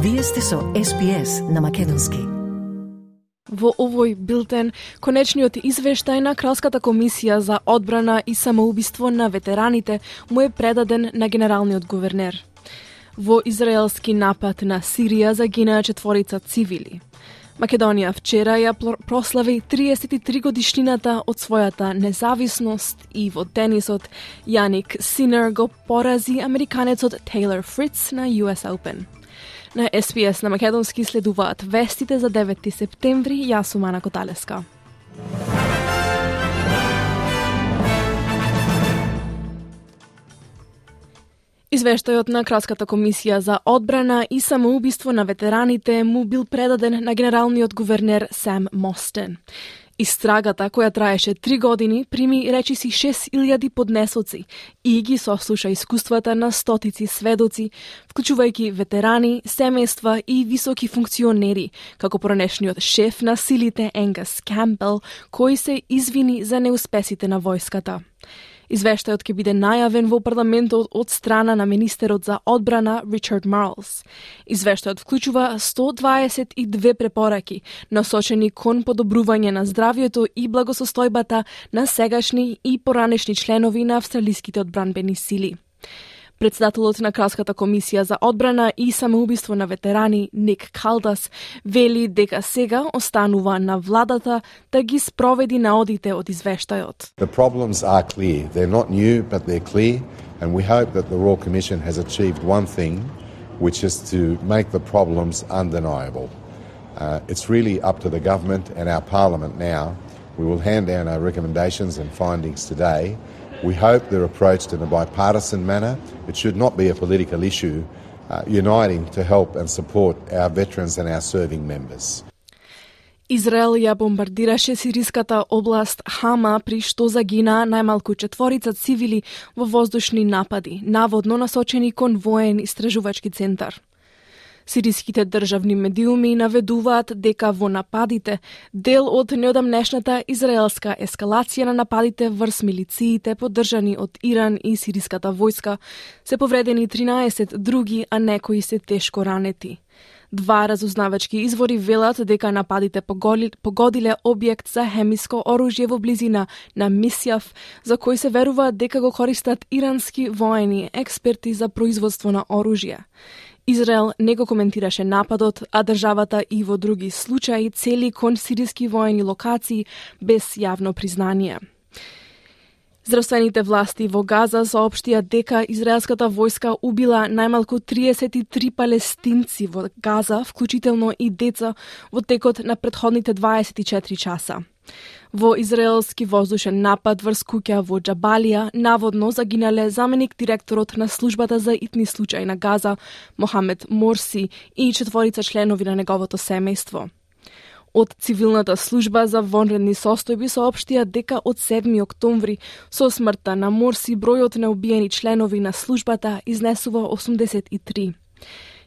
Вие сте со SPS на македонски. Во овој билтен, конечниот извештај на Кралската комисија за одбрана и самоубиство на ветераните му е предаден на генералниот гувернер. Во израелски напад на Сирија загинаа 4 цивили. Македонија вчера ја прослави 33 годишнината од својата независност и во тенисот Јаник Синер го порази американецот Тейлор Фриц на US Open. На SPS на македонски следуваат вестите за 9 септември. Јас сум Ана Коталеска. Извештајот на Кралската комисија за одбрана и самоубиство на ветераните му бил предаден на генералниот гувернер Сам Мостен. Истрагата, која траеше 3 години, прими речиси 6000 поднесоци и ги сослуша искуствата на стотици сведоци, вклучувајќи ветерани, семејства и високи функционери, како поранешниот шеф на силите Енгас Кампбел, кој се извини за неуспесите на војската. Извештајот ќе биде најавен во парламентот од страна на министерот за одбрана Ричард Марлс. Извештајот вклучува 122 препораки, насочени кон подобрување на здравјето и благосостојбата на сегашни и поранешни членови на австралиските одбранбени сили. Председателот на Кралската комисија за одбрана и самоубиство на ветерани Ник Калдас вели дека сега останува на владата да ги спроведи наодите од извештајот. The problems are clear. They're not new, but they're clear, and we hope that the Royal Commission has achieved one thing, which is to make the problems undeniable. It's really up to the government and our parliament now. We will hand down our recommendations and findings today. We hope they're approached in a bipartisan manner. It should not be a political issue, uniting to help and support our veterans and our serving members. Израел ја бомбардираше сириската област Хама, при што загинаа најмалку 4 цивили во воздушни напади, наводно насочени кон воен истражувачки центар. Сириските државни медиуми наведуваат дека во нападите, дел од неодамнешната израелска ескалација на нападите врз милициите поддржани од Иран и сириската војска, се повредени 13 други, а некои се тешко ранети. 2 разузнавачки извори велат дека нападите погодиле објект за хемиско оружје во близина на Мисјав, за кој се верува дека го користат ирански воени експерти за производство на оружје. Израел не го коментираше нападот, а државата и во други случаи цели кон сириски воени локации без јавно признание. Здравствените власти во Газа соопштија дека израелската војска убила најмалку 33 палестинци во Газа, вклучително и деца, во текот на претходните 24 часа. Во израелски воздушен напад врз куќа во Џабалија наводно загинале заменик директорот на службата за итни случаи на Газа, Мохамед Морси, и 4 членови на неговото семејство. Од цивилната служба за вонредни состојби соопштија дека од 7 октомври со смртта на Морси бројот на убиени членови на службата изнесува 83.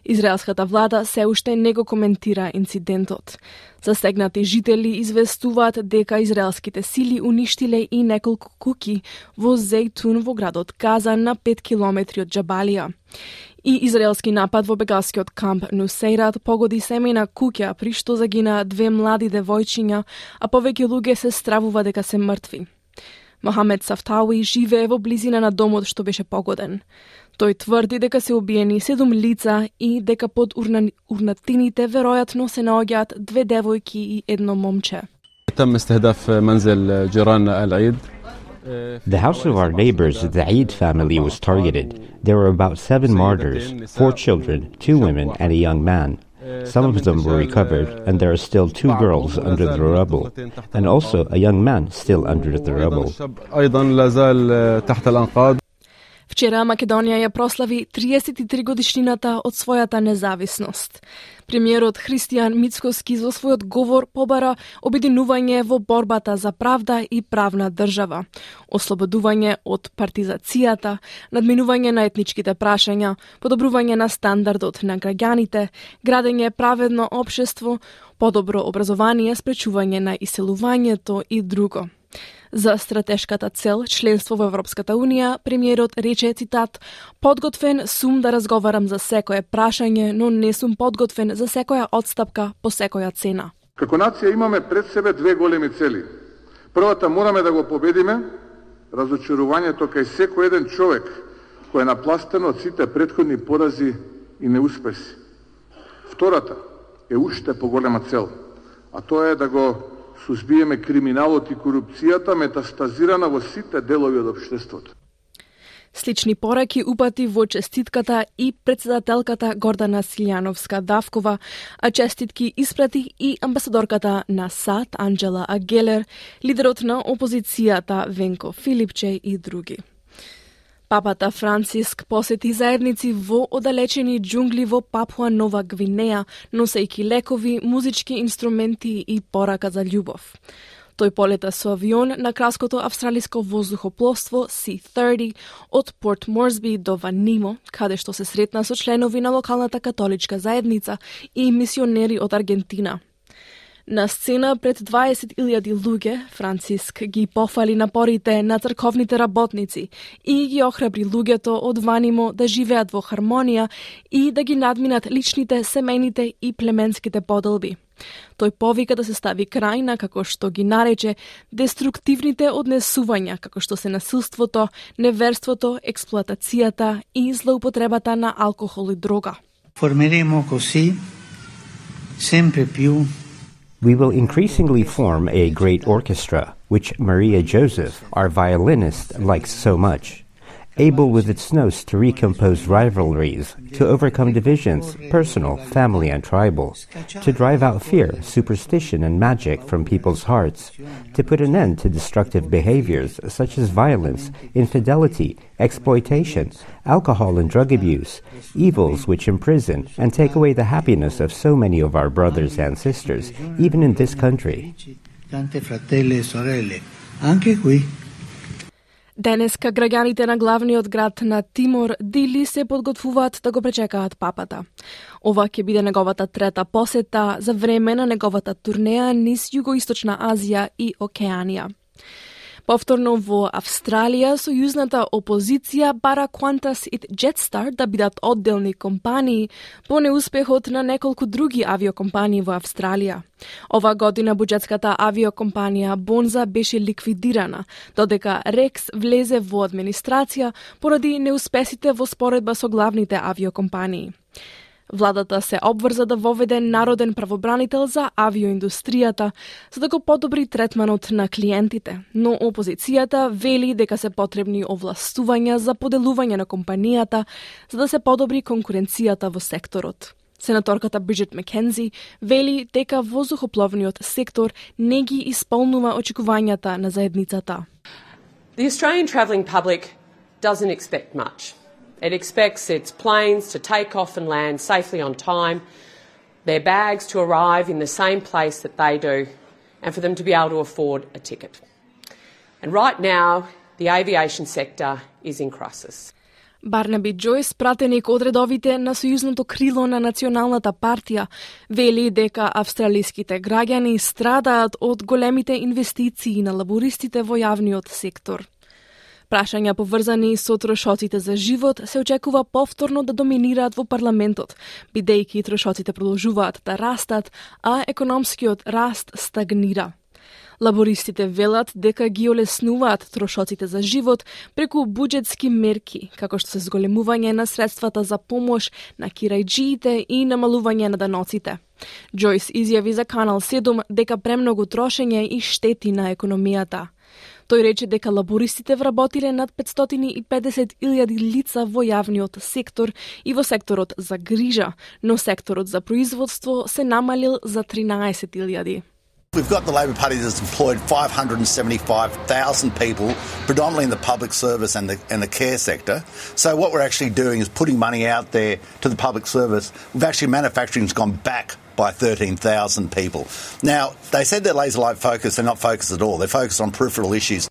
Израелската влада се уште не го коментира инцидентот. Засегнати жители известуваат дека израелските сили уништиле и неколку куќи во Зейтун во градот Газа на 5 километри од Џабалија. И израелски напад во бегалскиот камп Нусейрат погоди семејна куќа, при што загинаа 2 млади девојчиња, а повеќе луѓе се стравува дека се мртви. Мохамед Сафтауи живее во близина на домот што беше погоден. Тој тврди дека се убиени 7 лица и дека под урнатините веројатно се наоѓаат 2 девојки и 1 момче. The house of our neighbors, the Eid family, was targeted. There were about 7 martyrs, 4 children, 2 women, and a young man. Some of them were recovered, and there are still 2 girls under the rubble, and also a young man still under the rubble. Вчера Македонија ја прослави 33 годишнината од својата независност. Премиерот Христијан Мицкоски во својот говор побара обединување во борбата за правда и правна држава, ослободување од партизацијата, надминување на етничките прашања, подобрување на стандардот на граѓаните, градење праведно општество, подобро образование, спречување на иселувањето и друго. За стратешката цел, членство во Европската Унија, премиерот рече, цитат, "Подготвен сум да разговарам за секое прашање, но не сум подготвен за секоја одстапка по секоја цена." Како нација имаме пред себе две големи цели. Првата, мораме да го победиме разочарувањето кај секој еден човек кој е напластено од сите претходни порази и неуспеси. Втората е уште поголема цел, а тоа е да го сузбиеме криминалот и корупцијата метастазирана во сите делови од општеството. Слични пораки упати во честитката и председателката Гордана Силјановска-Давкова, а честитки испрати и амбасадорката на САД Анджела Агелер, лидерот на опозицијата Венко Филипче и други. Папата Франциск посети заедници во оддалечени џунгли во Папуа Нова Гвинеја, носејќи лекови, музички инструменти и порака за љубов. Тој полета со авион на кралското австралиско воздухопловство C-30 од Порт Морсби до Ванимо, каде што се сретна со членови на локалната католичка заедница и мисионери од Аргентина. На сцена пред 20.000 луѓе, Франциск ги пофали напорите на црковните работници и ги охрабри луѓето од Ванимо да живеат во хармонија и да ги надминат личните, семејните и племенските поделби. Тој повика да се стави крај на, како што ги нарече, деструктивните однесувања, како што се насилството, неверството, експлоатацијата и злоупотребата на алкохол и дрога. Formeremo così sempre più. We will increasingly form a great orchestra, which Maria Joseph, our violinist, likes so much. Able with its notes to recompose rivalries, to overcome divisions, personal, family, and tribal, to drive out fear, superstition, and magic from people's hearts, to put an end to destructive behaviors such as violence, infidelity, exploitation, alcohol and drug abuse, evils which imprison and take away the happiness of so many of our brothers and sisters, even in this country. Tante fratelli e sorelle, anche qui. Денеска граѓаните на главниот град на Тимор, Дили, се подготвуваат да го пречекаат папата. Ова ќе биде неговата трета посета за време на неговата турнеја низ Југоисточна Азија и Океанија. Повторно во Австралија, сојузната опозиција бара Qantas и Jetstar да бидат одделни компании по неуспехот на неколку други авиокомпании во Австралија. Ова година буџетската авиокомпанија Бонза беше ликвидирана, додека Рекс влезе во администрација поради неуспесите во споредба со главните авиокомпании. Владата се обврза да воведе народен правобранител за авиоиндустријата, за да го подобри третманот на клиентите, но опозицијата вели дека се потребни овластувања за поделување на компанијата, за да се подобри конкуренцијата во секторот. Сенаторката Бриджит Маккензи вели дека воздухопловниот сектор не ги исполнува очекувањата на заедницата. The Australian travelling public doesn't expect much. It expects its planes to take off and land safely on time, their bags to arrive in the same place that they do, and for them to be able to afford a ticket. And right now, the aviation sector is in crisis. Барнаби Джойс, пратеник од редовите на сојузното крило на Националната партија, вели дека австралиските граѓани страдаат од големите инвестиции на лабористите во јавниот сектор. Прашања поврзани со трошоците за живот се очекува повторно да доминираат во парламентот, бидејќи трошоците продолжуваат да растат, а економскиот раст стагнира. Лабористите велат дека ги олеснуваат трошоците за живот преку буџетски мерки, како што се зголемување на средствата за помош на кирајџиите и намалување на даноците. Джойс изјави за Канал 7 дека премногу трошење и штети на економијата. Тој рече дека лабористите вработиле над 550.000 лица во јавниот сектор и во секторот за грижа, но секторот за производство се намалил за 13.000. We've got the Labor Party that's employed 575,000 people, predominantly in the public service and the care sector. So what we're actually doing is putting money out there to the public service. Manufacturing's gone back by 13,000 people. Now, they said they're laser-like focused. They're not focused at all. They're focused on peripheral issues.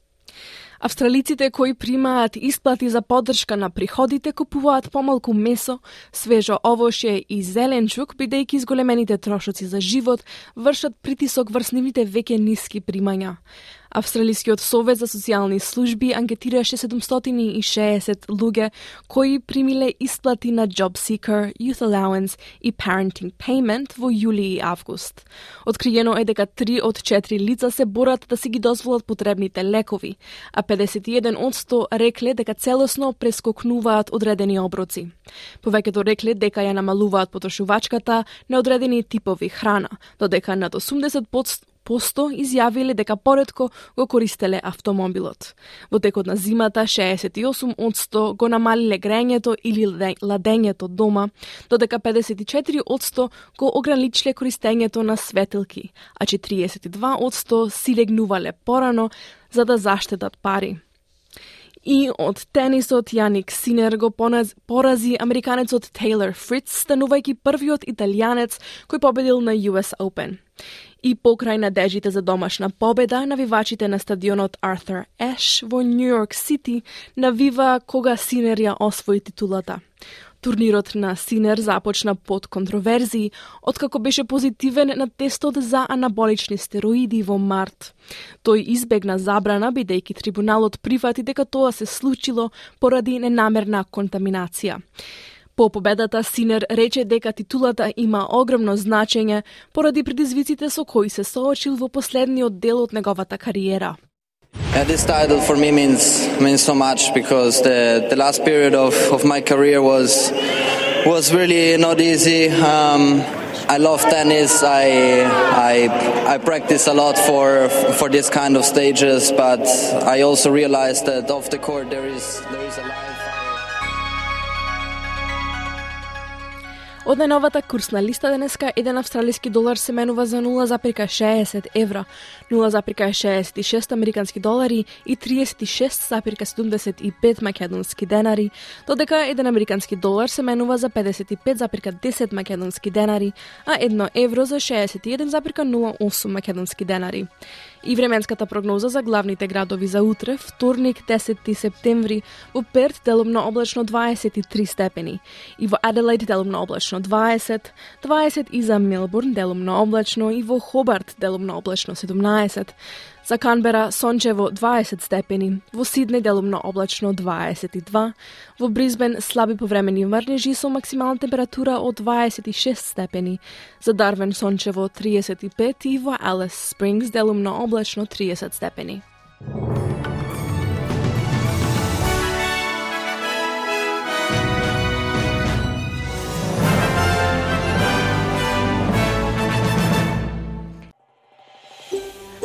Австралиците кои примаат исплати за поддршка на приходите купуваат помалку месо, свежо овошје и зеленчук, бидејќи зголемените трошоци за живот вршат притисок врз нивните веќе ниски примања. Австралискиот совет за социјални служби анкетираше 760 луѓе кои примиле исплати на Job Seeker, Youth Allowance и Parenting Payment во јули и август. Откриено е дека 3 од 4 лица се борат да си ги дозволат потребните лекови, а 51% рекле дека целосно прескокнуваат одредени оброци. Повеќето рекле дека ја намалуваат потрошувачката на одредени типови храна, додека над 80% изјавиле дека поретко го користеле автомобилот. Во текот на зимата 68% го намалиле грењето или ладењето дома, додека 54% го ограничиле користењето на светилки, а 42% си легнувале порано за да заштедат пари. И од тенисот Јаник Синер го порази американецот Тейлор Фриц, станувајќи првиот италијанец кој победил на US Open. И покрај надежите за домашна победа, навивачите на стадионот Arthur Ashe во Нью Йорк Сити навива кога Синер ја освои титулата. Турнирот на Синер започна под контроверзии, откако беше позитивен на тестот за анаболични стероиди во март. Тој избегна забрана, бидејќи трибуналот прифати дека тоа се случило поради ненамерна контаминација. По победата Синер рече дека титулата има огромно значење поради предизвиците со кои се соочил во последниот дел од неговата кариера. This title for me means so much because the last period of my career was really not easy. I love tennis. I practice a lot for this kind of stages, but I also realized that off the court there is a life. Од најновата курсна листа денеска, 1 австралиски долар се менува за 0,60 евра, 0,66 американски долари и 36,75 македонски денари, додека 1 американски долар се менува за 55,10 македонски денари, а 1 евро за 61,08 македонски денари. И временската прогноза за главните градови за утре, вторник 10 септември, во Перт делумно облачно 23 степени, и во Аделаид делумно облачно 20 и за Мелбурн делумно облачно и во Хобарт делумно облачно 17. За Канбера сончево 20 степени, во Сиднеј делумно облачно 22, во Брисбен слаби повремени мрнежи со максимална температура од 26 степени, за Дарвин сончево 35 и во Алис Спрингс делумно облачно 30 степени.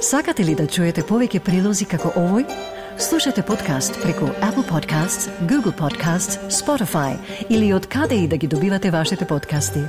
Сакате ли да чуете повеќе прилози како овој? Слушате подкаст преку Apple Podcasts, Google Podcasts, Spotify или од каде и да ги добивате вашите подкасти.